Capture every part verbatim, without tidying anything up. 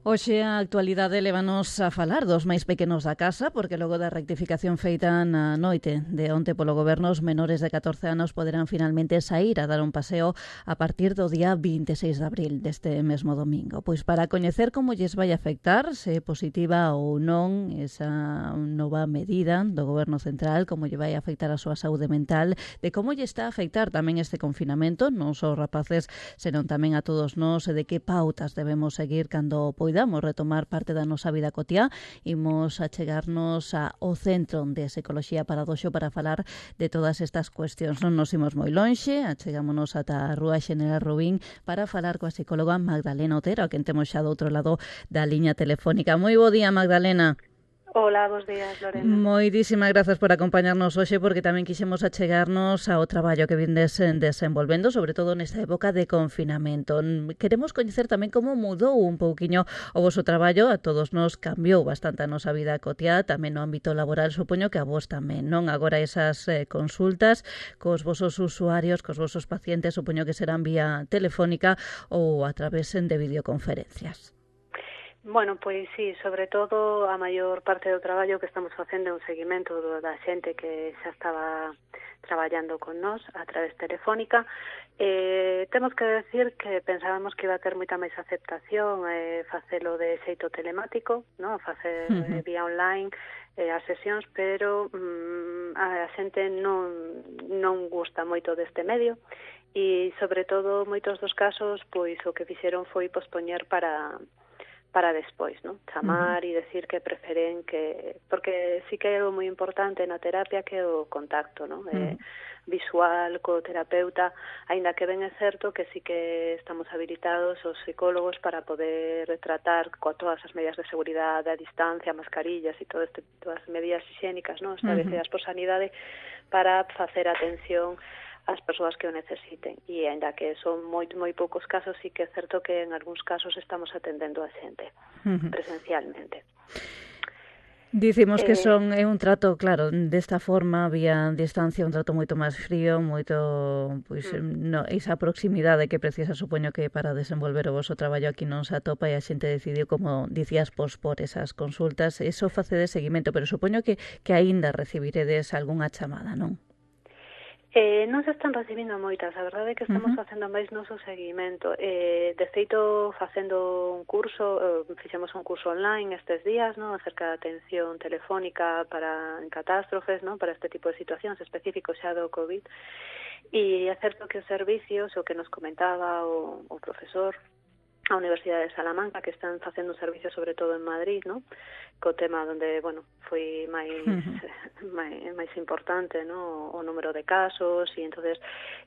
Hoxe a actualidade lévanos a falar dos máis pequenos da casa, porque logo da rectificación feita na noite de onte polo Goberno, os menores de catorce anos poderán finalmente sair a dar un paseo a partir do día vinte e seis de abril deste mesmo domingo. Pois para coñecer como lles vai afectar, se é positiva ou non esa nova medida do Goberno Central, como lle vai afectar a súa saúde mental, de como lle está a afectar tamén este confinamento, non só os rapaces, senón tamén a todos nós, e de que pautas debemos seguir cando poidamos retomar parte da nosa vida cotiá. Imos a chegarnos ao Centro de Psicoloxía Paradoxo para falar de todas estas cuestións. Non nos imos moi lonxe, achegámonos ata a Rúa Xeneral Rubín para falar coa psicóloga Magdalena Otero, a quen temos xa do outro lado da liña telefónica. Moi bo día, Magdalena. Hola, bos días, Lorena. Moitísimas grazas por acompañarnos hoxe, porque tamén quixemos achegarnos ao traballo que vindes desenvolvendo, sobre todo nesta época de confinamento. Queremos coñecer tamén como mudou un pouquiño o voso traballo. A todos nos cambiou bastante a nosa vida cotiá, tamén no ámbito laboral, supoño que a vos tamén, non? Agora esas eh, consultas cos vosos usuarios, cos vosos pacientes, supoño que serán vía telefónica ou a través de videoconferencias. Bueno, pois sí, sobre todo a maior parte do traballo que estamos facendo é un seguimento da xente que xa estaba traballando con nós a través telefónica. Eh, temos que decir que pensábamos que iba a ter moita máis aceptación eh, facelo de xeito telemático, no? Facer uh-huh. vía online eh, as sesións, pero mm, a xente non, non gusta moito deste medio e, sobre todo, moitos dos casos, pois o que fixeron foi pospoñer para... para despois, ¿no? Chamar uh-huh. e decir que preferen que... Porque sí que hai algo moi importante na terapia que é o contacto, ¿no? Uh-huh. Eh, visual co terapeuta, aínda que ben é certo que sí que estamos habilitados os psicólogos para poder tratar con todas as medidas de seguridade, a distancia, mascarillas e todo este, todas as medidas higiénicas, ¿no? Establecidas uh-huh. por sanidade para facer atención as persoas que o necesiten, e ainda que son moi moi poucos casos, sí que é certo que en algúns casos estamos atendendo a xente uh-huh. presencialmente. Dicimos eh, que son é un trato, claro, desta forma, vía distancia, un trato moito máis frío, moito, pois, uh-huh. no, esa proximidade que precisa, supoño que para desenvolver o voso traballo aquí non se atopa, e a xente decidiu, como dicías, pospor esas consultas. Eso face de seguimento, pero supoño que, que aínda recibiredes algunha chamada, non? Eh, non se están recibindo moitas, a verdade é que estamos uh-huh. facendo máis noso seguimento. Eh, de feito, facendo un curso, eh, fixemos un curso online estes días, ¿no? Acerca da atención telefónica para en catástrofes, ¿no? Para este tipo de situacións específicos xa do COVID. E é certo que os servicios, o que nos comentaba o, o profesor a Universidade de Salamanca, que están facendo un servicio sobre todo en Madrid, ¿no? Co tema onde, bueno, foi máis uh-huh. máis, máis importante, ¿no? O número de casos, e entonces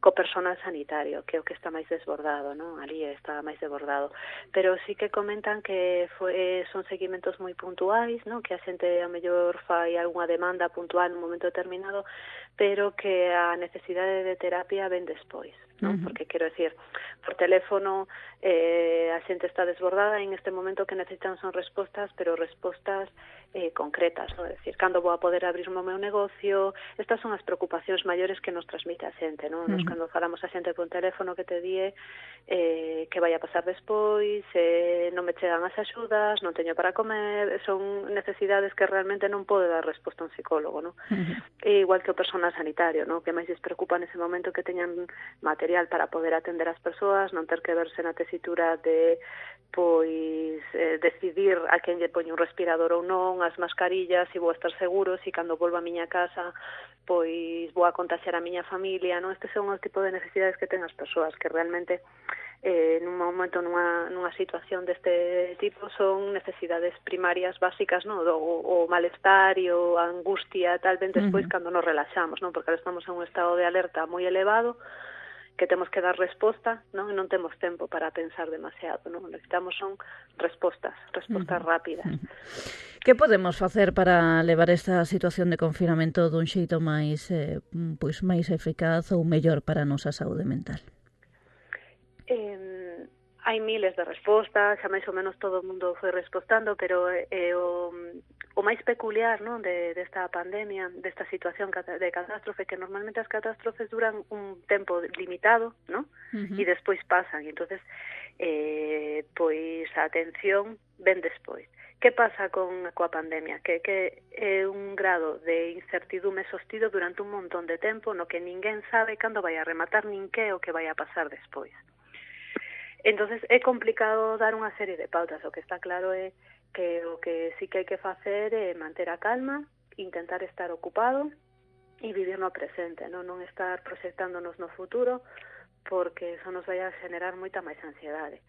co personal sanitario, que é o que está máis desbordado, ¿no? Ali está máis desbordado. Pero sí que comentan que foi, son seguimentos moi puntuais, ¿no? Que a xente a mellor fai algunha demanda puntual nun momento determinado, pero que a necesidade de terapia ven despois, ¿no? Uh-huh. Porque quero decir, por teléfono eh, a xente está desbordada, e en este momento que necesitan son respostas, pero respostas eh, concretas, ¿no? É dicir, cando vou a poder abrir o meu negocio. Estas son as preocupacións maiores que nos transmite a xente, ¿no? Nos, uh-huh. cando falamos a xente por teléfono, que te die eh, que vai a pasar despois, eh, non me chegan as axudas, non teño para comer, son necesidades que realmente non pode dar resposta un psicólogo, ¿no? Uh-huh. E igual que o personal sanitario, ¿no? Que máis les preocupa nese momento que teñan material para poder atender as persoas, non ter que verse na tesitura de pois eh, decidir a quen lle poñe un respirador ou non, as mascarillas, se vou estar seguro, se cando volvo a miña casa pois vou a contaxiar a miña familia, non? Estes son os tipos de necesidades que ten as persoas, que realmente eh, nun momento, nunha, nunha situación deste tipo, son necesidades primarias básicas, non? O, o malestar e o a angustia, tal vez despois uh-huh. cando nos relaxamos, non? Porque ahora estamos en un estado de alerta moi elevado, que temos que dar resposta, non? E non temos tempo para pensar demasiado, non? Necesitamos son respostas, respostas uh-huh. rápidas. Uh-huh. Que podemos facer para levar esta situación de confinamento dun xeito máis eh, pois máis eficaz ou mellor para a nosa saúde mental? Eh, hai miles de respostas, xa máis ou menos todo o mundo foi respostando, pero eh, o, o máis peculiar, non, de desta pandemia, desta situación de catástrofe, que normalmente as catástrofes duran un tempo limitado, non? Uh-huh. E despois pasan, e entonces eh, pois a atención ven despois. Que pasa con coa pandemia? Que, que é un grado de incertidume sostido durante un montón de tempo no que ninguén sabe cando vai a rematar nin que o que vai a pasar despois. Entonces é complicado dar unha serie de pautas. O que está claro é que o que sí que hai que facer é manter a calma, intentar estar ocupado e vivir no presente, non, non estar proxectándonos no futuro, porque eso nos vai a generar moita máis ansiedade.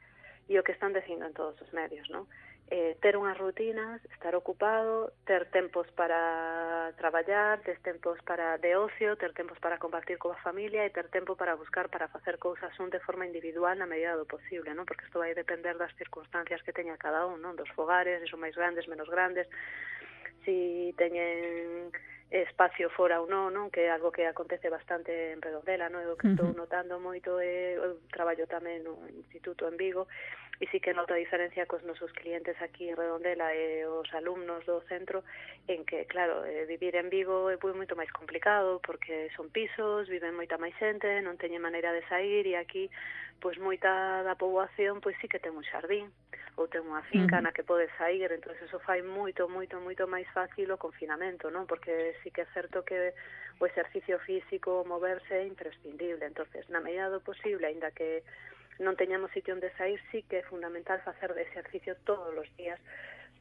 E o que están dicindo en todos os medios, non? Eh, ter unhas rutinas, estar ocupado, ter tempos para traballar, ter tempos para de ocio, ter tempos para compartir coa familia e ter tempo para buscar, para facer cousas un de forma individual na medida do posible, non? Porque isto vai depender das circunstancias que teña cada un, non? Dos fogares, se son máis grandes, menos grandes, si teñen espacio fora ou non, non, que é algo que acontece bastante en Redondela, non? O que estou notando moito é o traballo tamén no Instituto en Vigo, e sí que noto a diferencia cos nosos clientes aquí en Redondela e os alumnos do centro, en que, claro, eh, vivir en Vigo é moito máis complicado, porque son pisos, viven moita máis xente, non teñen maneira de sair, e aquí, pois, moita da poboación, pois sí que ten un xardín, ou ten unha finca uh-huh. na que pode sair, entón eso fai moito, moito, moito máis fácil o confinamento, non? Porque sí que é certo que o exercicio físico, o moverse é imprescindible, entonces, na medida do posible, aínda que non teñamos sitio onde sair, sí que é fundamental facer de exercicio todos os días,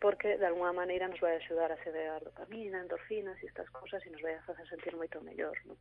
porque de alguna maneira nos vai axudar a sedear dopamina, endorfinas e estas cousas, e nos vai a facer sentir moito mellor, non?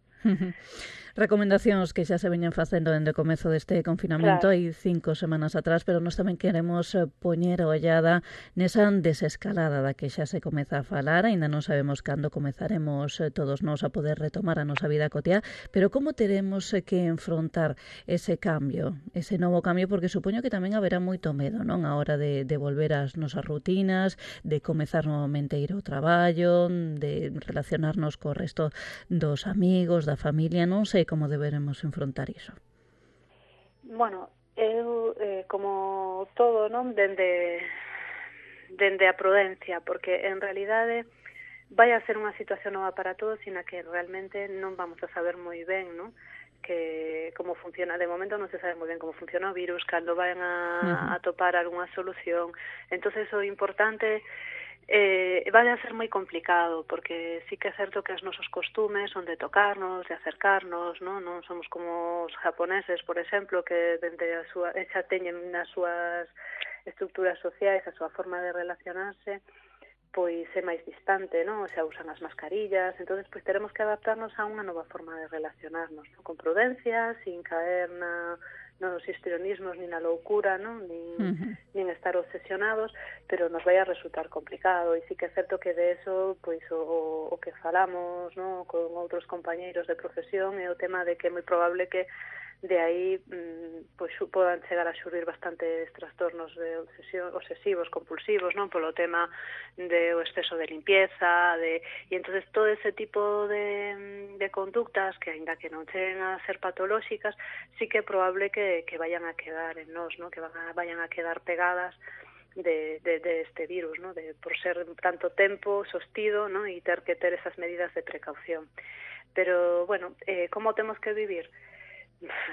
Recomendacións que xa se veñen facendo dende o comezo deste confinamento, hai claro. cinco semanas atrás, pero nós tamén queremos poñer a ollada nesa desescalada da que xa se comeza a falar, aínda non sabemos cando comezaremos todos nós a poder retomar a nosa vida cotiá, pero como teremos que enfrontar ese cambio, ese novo cambio, porque supoño que tamén haberá moito medo, non, a hora de, de volver ás nosas rutinas, de comezar novamente a ir ao traballo, de relacionarnos co resto dos amigos, da familia, non sei como deberemos enfrontar iso. Bueno, eu, eh, como todo, non, dende, dende a prudencia, porque en realidade vai a ser unha situación nova para todos, sina que realmente non vamos a saber moi ben, non, que como funciona. De momento non se sabe moi ben como funciona o virus, cando van a, uh-huh. a topar algunha solución. Entonces o importante eh, vai a ser moi complicado, porque sí que é certo que os nosos costumes son de tocarnos, de acercarnos, non, non somos como os japoneses, por exemplo, que dende a súa, xa teñen nas súas estructuras sociais, a súa forma de relacionarse, pois é máis distante, non? Xa usan as mascarillas, entonces pois teremos que adaptarnos a unha nova forma de relacionarnos, non? Con prudencia, sin caer na nos histrionismos nin na loucura, non? Nin, uh-huh. nin estar obsesionados, pero nos vai a resultar complicado, e sí que é certo que de eso, pois o, o que falamos, non? Con outros compañeiros de profesión é o tema de que é moi probable que de aí pois podan chegar a xurdir bastantes trastornos de obsesión, obsesivos, compulsivos, non, polo tema de o exceso de limpieza, de e entonces todo ese tipo de, de conductas que aínda que non cheguen a ser patolóxicas, sí que é probable que, que vayan a quedar en nós, non, que van a, vayan a quedar pegadas de, de, de este virus, ¿no? De, por ser tanto tempo sostido, ¿no? E ter que ter esas medidas de precaución. Pero, bueno, eh, como temos que vivir?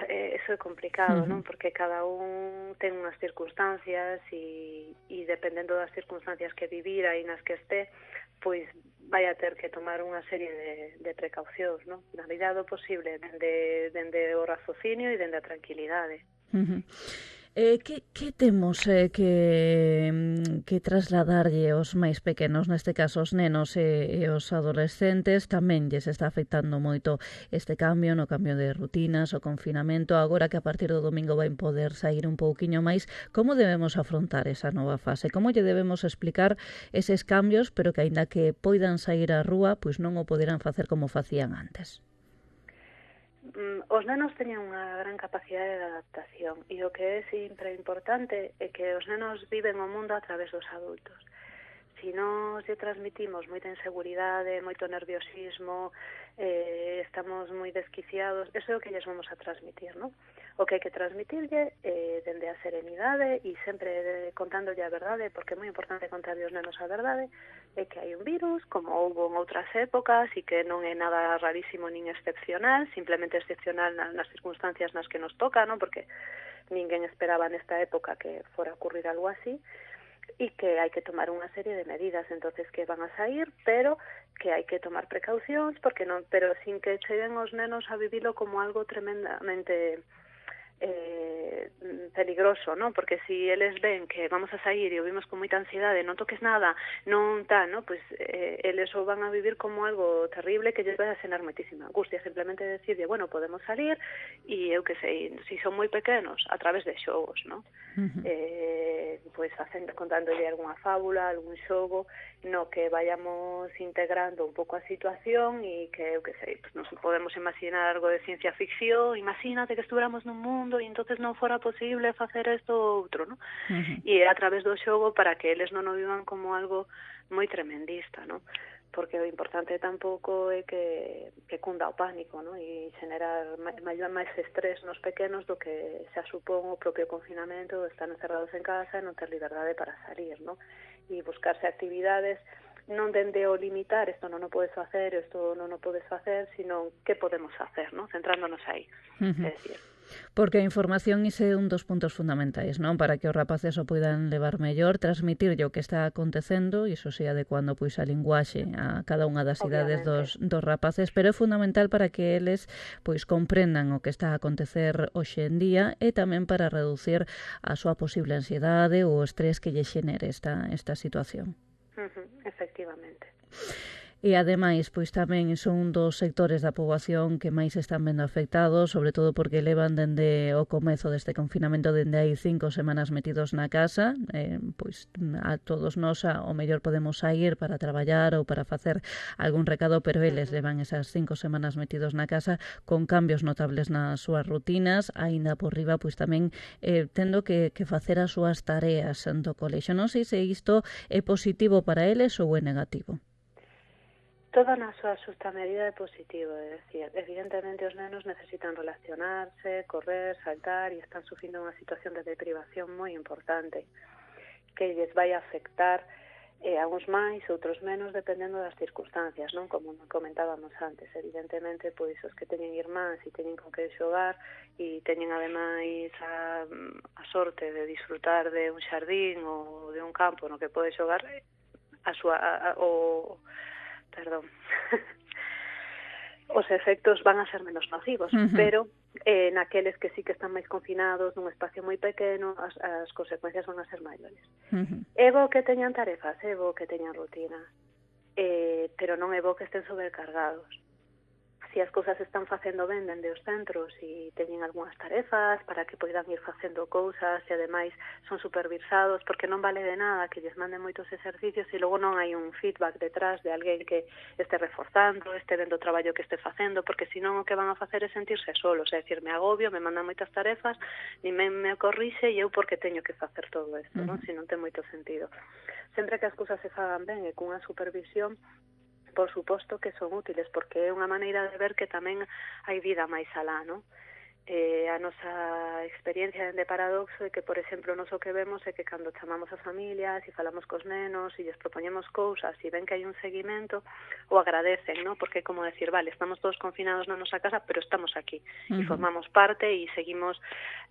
Eh, eso é complicado, uh-huh. non? Porque cada un ten unhas circunstancias e, e dependendo das circunstancias que vivira e nas que este, pois vai a ter que tomar unha serie de, de precaucións, non? Na medida do posible, dende, dende o raciocinio e dende a tranquilidade. Uh-huh. Eh, que, que temos eh, que, que trasladarlle aos máis pequenos, neste caso os nenos e, e os adolescentes? Tamén lles está afectando moito este cambio, no cambio de rutinas, o confinamento, agora que a partir do domingo vai poder sair un pouquiño máis. Como debemos afrontar esa nova fase? Como lle debemos explicar eses cambios, pero que aínda que poidan sair á rúa, pois non o poderán facer como facían antes? Os nenos teñen unha gran capacidade de adaptación e o que é sempre importante é que os nenos viven o mundo a través dos adultos. Si nos lle transmitimos moita inseguridade, moito nerviosismo, eh, estamos moi desquiciados, eso é o que lles vamos a transmitir, non? O que hai que transmitirlle eh, dende a serenidade e sempre contándolle a verdade, porque é moi importante contarlle aos nenos a verdade, é que hai un virus, como houve en outras épocas, e que non é nada rarísimo nin excepcional, simplemente excepcional nas circunstancias nas que nos toca, non? Porque ninguén esperaba nesta época que fora a ocurrir algo así, e que hai que tomar unha serie de medidas, entonces que van a sair, pero que hai que tomar precaucións, porque non, pero sin que cheguen os nenos a vivilo como algo tremendamente eh, peligroso, ¿no? Porque si eles ven que vamos a sair e o vimos con moita ansiedade, non toques nada, non tal, ¿no? Pues eh, eles o van a vivir como algo terrible que lles vai a xenar moitísima angustia, simplemente decirle, bueno, podemos salir e eu que sei, si son moi pequenos, a través de xogos, ¿no? Uh-huh. Eh, pues facendo, contándolle algunha fábula, algún xogo, no que vayamos integrando un pouco a situación e que, eu que sei, pues nos podemos imaginar algo de ciencia ficción, imagínate que estuéramos nun mundo e entonces non fora posible facer isto ou outro, ¿no? Uh-huh. E a través do xogo para que eles non o vivan como algo moi tremendista, ¿no? Porque o importante tampouco é que, que cunda o pánico, ¿no? E generar máis, máis estrés nos pequenos do que xa supón o propio confinamento, estar encerrados en casa e non ter liberdade para salir, ¿no? E buscarse actividades non dende o limitar, isto non o podes facer, isto non o podes facer, sino que podemos facer, ¿no? Centrándonos aí, uh-huh. É dicir. Porque a información ise un dos puntos fundamentais, non? Para que os rapaces o poidan levar mellor, transmitirlle o que está acontecendo, e iso se adecuando pois a linguaxe a cada unha das idades dos, dos rapaces, pero é fundamental para que eles pois comprendan o que está a acontecer hoxe en día e tamén para reducir a súa posible ansiedade ou o estrés que lle xenere esta, esta situación. Uh-huh, efectivamente. E, ademais, pois tamén son un dos sectores da poboación que máis están vendo afectados, sobre todo porque levan dende o comezo deste confinamento, dende hai cinco semanas metidos na casa, eh, pois a todos nós o mellor podemos sair para traballar ou para facer algún recado, pero eles levan esas cinco semanas metidos na casa con cambios notables nas súas rutinas, aínda por riba, pois tamén eh, tendo que, que facer as súas tareas do colexo. Non sei se isto é positivo para eles ou é negativo. Toda na súa xusta medida é positivo, é dicir, evidentemente os nenos necesitan relacionarse, correr, saltar e están sufrindo unha situación de deprivación moi importante que lles vai a afectar eh, a uns máis, outros menos, dependendo das circunstancias, non? Como comentábamos antes, evidentemente, pois os que teñen irmáns e teñen con que xogar e teñen ademais a, a sorte de disfrutar de un xardín ou de un campo no que pode xogar, a súa a, a, o perdón, os efectos van a ser menos nocivos, uh-huh. pero eh, naqueles que sí que están máis confinados nun espacio moi pequeno, as, as consecuencias van a ser maiores. Uh-huh. É bo que teñan tarefas, é bo que teñan rutina, eh, pero non é bo que estén sobrecargados. Si as cousas están facendo ben dende os centros e teñen algunhas tarefas para que poidan ir facendo cousas e ademais son supervisados, porque non vale de nada que lles manden moitos exercicios e logo non hai un feedback detrás de alguén que este reforzando, este vendo o traballo que este facendo, porque senón o que van a facer é sentirse solos, é dicir, me agobio, me mandan moitas tarefas, ni me, me corrixe e eu porque teño que facer todo isto, uh-huh. non? Se non ten moito sentido. Sempre que as cousas se fagan ben e cunha supervisión, por suposto que son útiles, porque é unha maneira de ver que tamén hai vida máis alá, non? Eh, a nosa experiencia de Paradoxo é que, por exemplo, nos o que vemos é que cando chamamos as familias e falamos cos nenos e lles propoñemos cousas e ven que hai un seguimento, o agradecen, non? Porque é como decir, vale, estamos todos confinados na nosa casa, pero estamos aquí, uh-huh. e formamos parte e seguimos,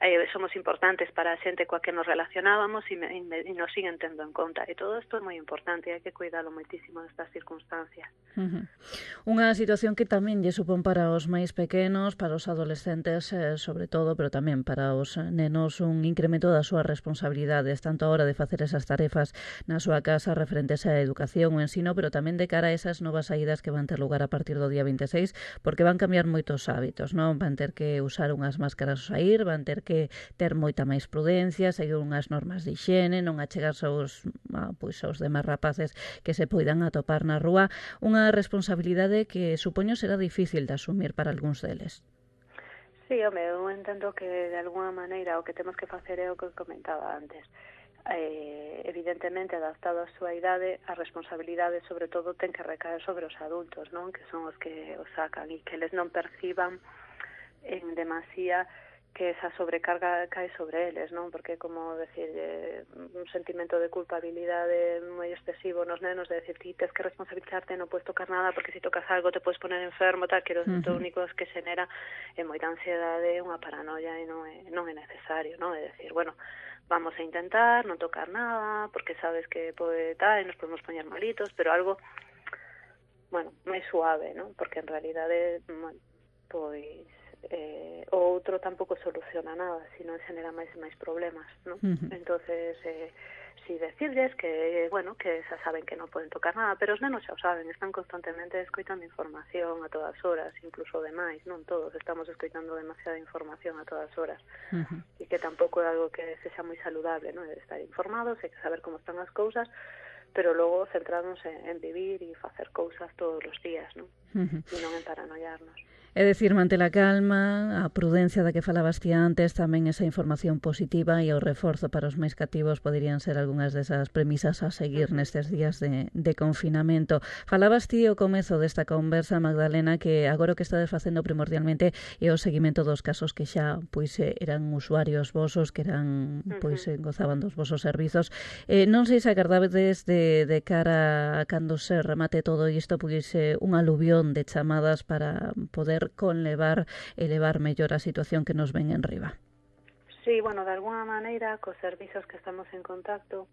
eh, somos importantes para a xente coa que nos relacionábamos e, me, e nos siguen tendo en conta. E todo isto é moi importante e hai que cuidalo moitísimo nestas circunstancias. Uh-huh. Unha situación que tamén lle supón para os máis pequenos, para os adolescentes, eh, sobre todo, pero tamén para os nenos, un incremento das súas responsabilidades, tanto a hora de facer esas tarefas na súa casa referentes á educación ou ensino, pero tamén de cara a esas novas saídas que van ter lugar a partir do día vinte e seis, porque van cambiar moitos hábitos, non? Van ter que usar unhas máscaras ao sair, van ter que ter moita máis prudencia, seguir unhas normas de higiene, non achegarse aos, a, pois, aos demais rapaces que se poidan atopar na rúa, unha responsabilidade que supoño será difícil de asumir para algúns deles. Sí, home, eu entendo que de alguna maneira o que temos que facer é o que comentaba antes. Eh, evidentemente, adaptado á súa idade, a responsabilidade, sobre todo, ten que recaer sobre os adultos, non? Que son os que os sacan e que eles non perciban en demasía que esa sobrecarga cae sobre eles, non? Porque, como decir, eh, un sentimento de culpabilidade moi excesivo nos nenos, de decir, ti tens que responsabilizarte, non podes tocar nada, porque se tocas algo te podes poner enfermo, tal, que o uh-huh. único que xenera é moita ansiedade, unha paranoia, e non é, non é necesario, non? É decir, bueno, vamos a intentar non tocar nada, porque sabes que pode tal, e nos podemos poñer malitos, pero algo, bueno, máis suave, non? Porque en realidade, bueno, pois eh, o outro tampouco soluciona nada, sino xenera máis e máis problemas, non? Uh-huh. Entonces, eh, si decirles que, bueno, que xa saben que non poden tocar nada, pero os nenos xa o saben, están constantemente escoitando información a todas horas, incluso demais, non todos estamos escoitando demasiada información a todas horas, uh-huh. e que tampouco é algo que sexa moi saludable, non? É estar informados, é que saber como están as cousas, pero logo centrarnos en, en vivir e facer cousas todos os días, non? Uh-huh. E non en paranoiarnos. É dicir, mante a calma, a prudencia da que falabas ti antes, tamén esa información positiva e o reforzo para os máis cativos poderían ser algunhas desas premisas a seguir nestes días de, de confinamento. Falabas ti ao comezo desta conversa, Magdalena, que agora o que estades facendo primordialmente é o seguimento dos casos que xa pois eran usuarios vosos, que eran pois gozaban dos vosos servizos. Eh, non sei se agardades de, de cara a cando se remate todo isto, pois eh, un aluvión de chamadas para poder conlevar e levar mellor a situación que nos ven en riba. Sí, bueno, de alguna maneira, cos servizos que estamos en contacto,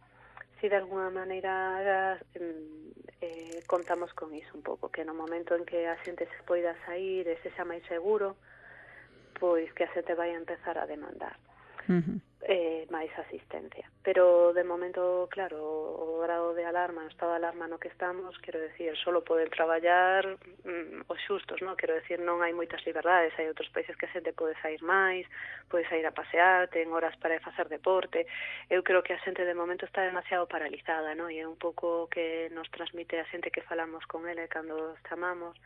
si de alguna maneira eh, contamos con iso un pouco, que no momento en que a xente se poida sair e se xa máis seguro, pois que a xente vai a empezar a demandar. Uh-huh. eh, máis asistencia. Pero de momento, claro, o grado de alarma, o estado de alarma no que estamos, quero decir, solo poden traballar mm, os xustos, non? Quero decir, non hai moitas liberdades, hai outros países que a xente pode sair máis, pode sair a pasear, ten horas para facer deporte. Eu creo que a xente de momento está demasiado paralizada, non? E é un pouco que nos transmite a xente que falamos con ele cando os chamamos,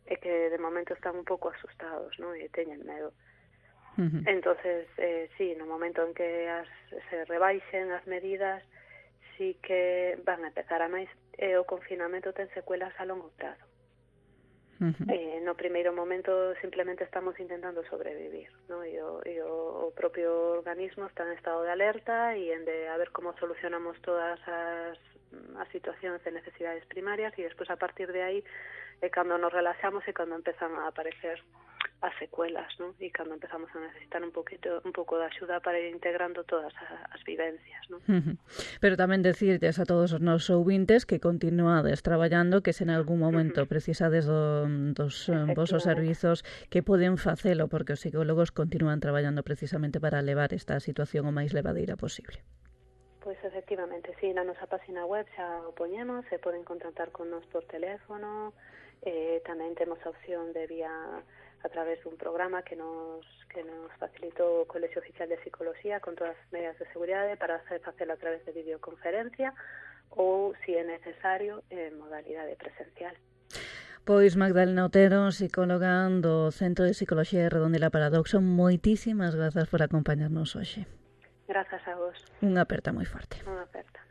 é que de momento están un pouco asustados, non? E teñen medo. Uh-huh. Entonces, eh, sí, no momento en que as, se rebaixen as medidas, sí que van a empezar a máis, e o confinamento ten secuelas a longo prazo. Uh-huh. Eh, no primeiro momento simplemente estamos intentando sobrevivir, ¿no? E, o, e o, o propio organismo está en estado de alerta e en de a ver como solucionamos todas as, as situacións de necesidades primarias, e despois a partir de aí é cando nos relaxamos e cando empezan a aparecer as secuelas, ¿no? E cando empezamos a necesitar un poquito, un pouco de axuda para ir integrando todas as vivencias, ¿no? Uh-huh. Pero tamén decirtes a todos os nosos ouvintes que continuades traballando, que se en algún momento uh-huh. precisades do, dos vosos servizos, que poden facelo, porque os psicólogos continúan traballando precisamente para levar esta situación o máis levadeira posible. Pois efectivamente, sí, na nosa página web xa o poñemos, se poden contactar con nos por teléfono, eh, tamén temos a opción de vía a través dun programa que nos que nos facilitou o Colexio Oficial de Psicología con todas as medidas de seguridade para hacer facelo a través de videoconferencia ou, se é necesario, en modalidade presencial. Pois Magdalena Otero, psicóloga do Centro de Psicología de Redondela Paradoxo, moitísimas grazas por acompañarnos hoxe. Grazas a vos. Unha aperta moi forte. Unha aperta.